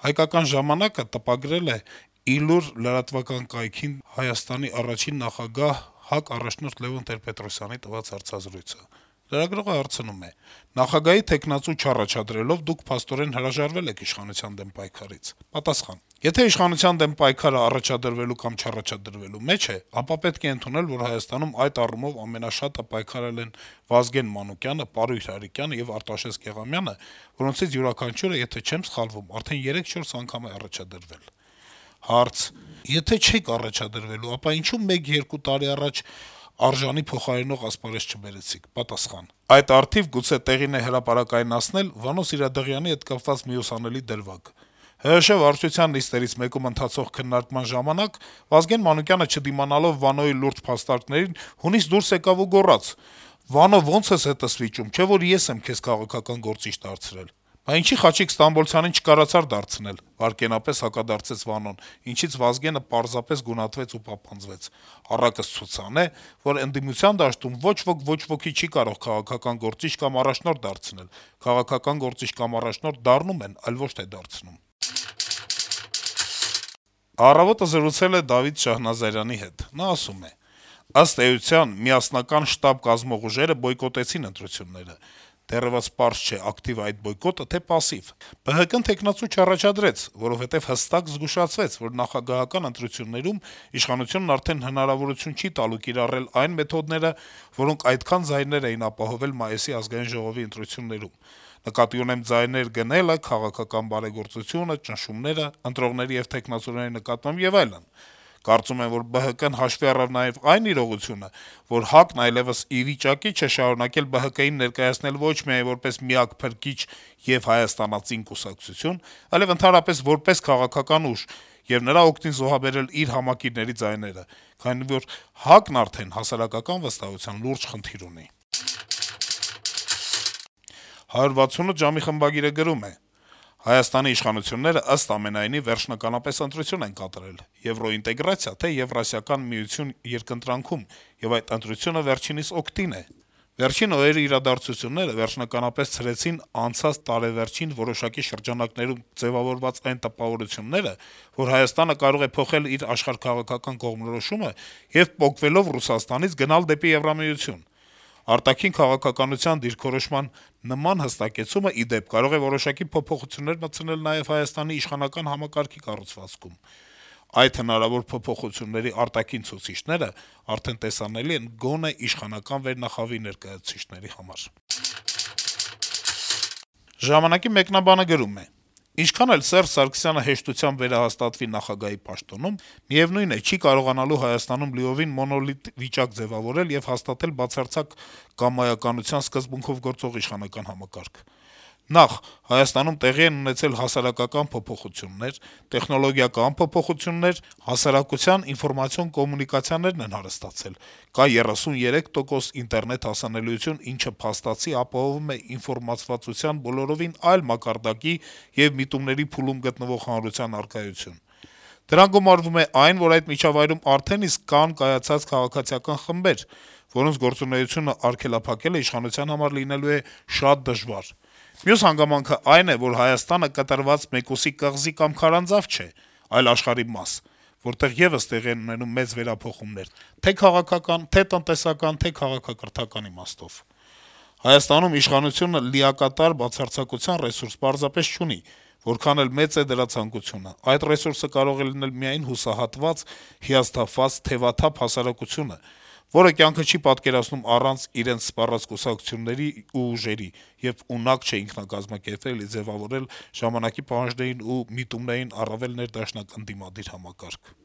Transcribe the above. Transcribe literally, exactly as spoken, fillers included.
«Հայկական ժամանակ»-ը տպագրել է «Իլուր» լրատվական կայքին Հայաստանի առաջին նախագահ, ՀԱԿ առաջնորդ Լեւոն Տեր-Պետրոսյանի տված հարցազրույցը: Լրագրողը հարցնում է. - «Նախագահի թեկնածու չառաջադրելով դուք փաստորեն հրաժարվել եք իշխանության դեմ պայքարից»: Պատասխան. - «Եթե իշխանության դեմ պայքարը առաջադրվելու կամ չառաջադրվելու մեջ է, ապա պետք է ընդունել, որ Հայաստանում այդ առումով ամենաշատը պայքարել են Վազգեն Մանուկյանը, Պարույր Հայրիկյանը եւ Արտաշես Գեղամյանը, որոնցից յուրաքանչյուրը, եթե չեմ սխալվում, արդեն երեք-չորս անգամ է առաջադրվել»: Հարց. - «Եթե չէիք առաջադրվելու, ապա ինչու մեկ-երկու տարի առաջ արժանի փոխարինող ասպարեզ չբերեցիք»: Պատասխան. - «Այդ առթիվ գուցե տեղին է հրապարակայնացնել Վանո Սիրադեղյանի հետ կապված մի ուսանելի դրվագ: ՀՀՇ վարչության նիստերից մեկում ընթացող քննարկման ժամանակ Վազգեն Մանուկյանը, չդիմանալով Վանոյի լուրջ փաստարկներին, հունից դուրս եկավ ու գոռաց. «Վանո, ո՞նց ես հետս վիճում, չէ՞ որ ես եմ քեզ քաղաքական գործիչ դարձրել»: «Բա ինչի Խաչիկ Ստամբոլցյանին չկարողացար դարձնել», - վայրկենապես հակադարձեց Վանոն, ինչից Վազգենը պարզապես գունատվեց ու պապանձվեց. «Առակս ցուցանե, որ ընդդիմության դաշտում ոչ ոք ոչ ոքի չի կարող քաղաքական գործիչ կամ առաջնորդ դարձնել: Քաղաքական գործիչ կամ առաջնորդ դառնում են, այլ ոչ թե դարձնում»: «Առավոտ»-ը զրուցել է Դավիթ Շահնազարյանի հետ: Նա ասում է. - «Ըստ էության, միասնական շտաբ կազմող ուժերը բոյկոտեցին ընտրությունները: Դեռեւս պարզ չէ՝ ակտիվ այդ բոյկոտը, թե պասսիվ: ԲՀԿ-ն թեկնածու չառաջադրեց, որովհետեւ հստակ զգուշացվեց, որ նախագահական ընտրություններում իշխանությունն արդեն հնարավորություն չի տալու կիրառել այն մեթոդները, որոնք այդքան ձայներ էին ապահովել մայիսի Ազգային ժողովի ընտրություններում: Նկատի ունեմ ձայներ գնելը, քաղաքական բարեգործությունը, ճնշումները, ընտրողների եւ թեկնածուների նկատմամբ եւ այլն: Կարծում եմ, որ ԲՀԿ-ն հաշվի առավ նաեւ այն իրողությունը, որ ՀԱԿ-ն այլեւս ի վիճակի չէ շարունակել ԲՀԿ-ին ներկայացնել ոչ միայն որպես միակ փրկիչ եւ հայաստանածին կուսակցություն, այլեւ ընդհանրապես որպես քաղաքական ուժ եւ նրա օգտին զոհաբերել իր համակիրների ձայները, քանի որ ՀԱԿ-ն արդեն հասարակական վստահության լուրջ խնդիր ունի»: «հարյուր վաթսունութ ժամ»-ի խմբագիրը գրում է. - «Հայաստանի իշխանությունները, ըստ ամենայնի, վերջնականապես ընտրություն են կատարել՝ եվրոինտեգրացիա, թե Եվրասիական միություն երկընտրանքում, եւ այդ ընտրությունը վերջինիս օգտին է: Վերջին օրերի իրադարձությունները վերջնականապես ցրեցին անցած տարեվերջին որոշակի շրջանակներում ձեւավորված այն տպավորությունները, որ Հայաստանը կարող է փոխել իր աշխարհաքաղաքական կողմնորոշումը եւ, պոկվելով Ռուսաստանից, գնալ դեպի Եվրամիություն: Արտաքին քաղաքականության դիրքորոշման նման հստակեցումը, ի դեպ, կարող է որոշակի փոփոխություններ մտցնել նաեւ Հայաստանի իշխանական համակարգի կառուցվածքում: Այդ հնարավոր փոփոխությունների արտաքին ցուցիչները արդեն տեսանելի են գոնե իշխանական վերնախավի ներկայացուցիչների համար»: «Ժամանակ»-ի մեկնաբանը գրում է. - «Ինչքան էլ Սերժ Սարգսյանը հեշտությամբ վերահաստատվի նախագահի պաշտոնում, միեւնույն է, չի կարողանալու Հայաստանում լիովին մոնոլիտ վիճակ ձեւավորել եւ հաստատել բացարձակ կամայականության սկզբունքով գործող իշխանական համակարգ: Նախ՝ Հայաստանում տեղի են ունեցել հասարակական փոփոխություններ, տեխնոլոգիական փոփոխություններ, հասարակության ինֆորմացիոն-կոմունիկացիաներն են հարստացել, կա երեսունյերեք տոկոս ինտերնետ հասանելիություն, ինչը փաստացի ապահովում է ինֆորմացվածության բոլորովին այլ մակարդակի եւ միտումների փուլում գտնվող հանրության առկայություն: Դրան գումարվում է այն, որ այդ միջավայրում արդեն իսկ կան կայացած քաղաքացիական խմբեր, որոնց գործունեությունը արգելափակելը իշխանության համար լինելու է շատ դժվար: Մյուս հանգամանքն այն է, որ Հայաստանը կտրված մեկուսի կղզի կամ քարանձավ չէ, այլ աշխարհի մաս, որտեղ եւս տեղի են ունենում մեծ վերափոխումներ թե' քաղաքական, թե' տնտեսական, թե' քաղաքակրթական իմաստով: Հայաստանում իշխանությունը լիակատար բացարձակության ռեսուրս պարզապես չունի, որքան էլ մեծ է դրա ցանկությունը: Այդ ռեսուրսը կարող է լինել միայն հուսահատված, հիասթափված, թեւաթափ հասարակությունը, որը կյանքը չի պատկերացնում առանց իրենց սպառած կուսակցությունների ու ուժերի եւ ունակ չէ ինքնակազմակերպվել եւ ձեւավորել ժամանակի պահանջներին ու միտումներին առավել ներդաշնակ ընդդիմադիր համակարգ»: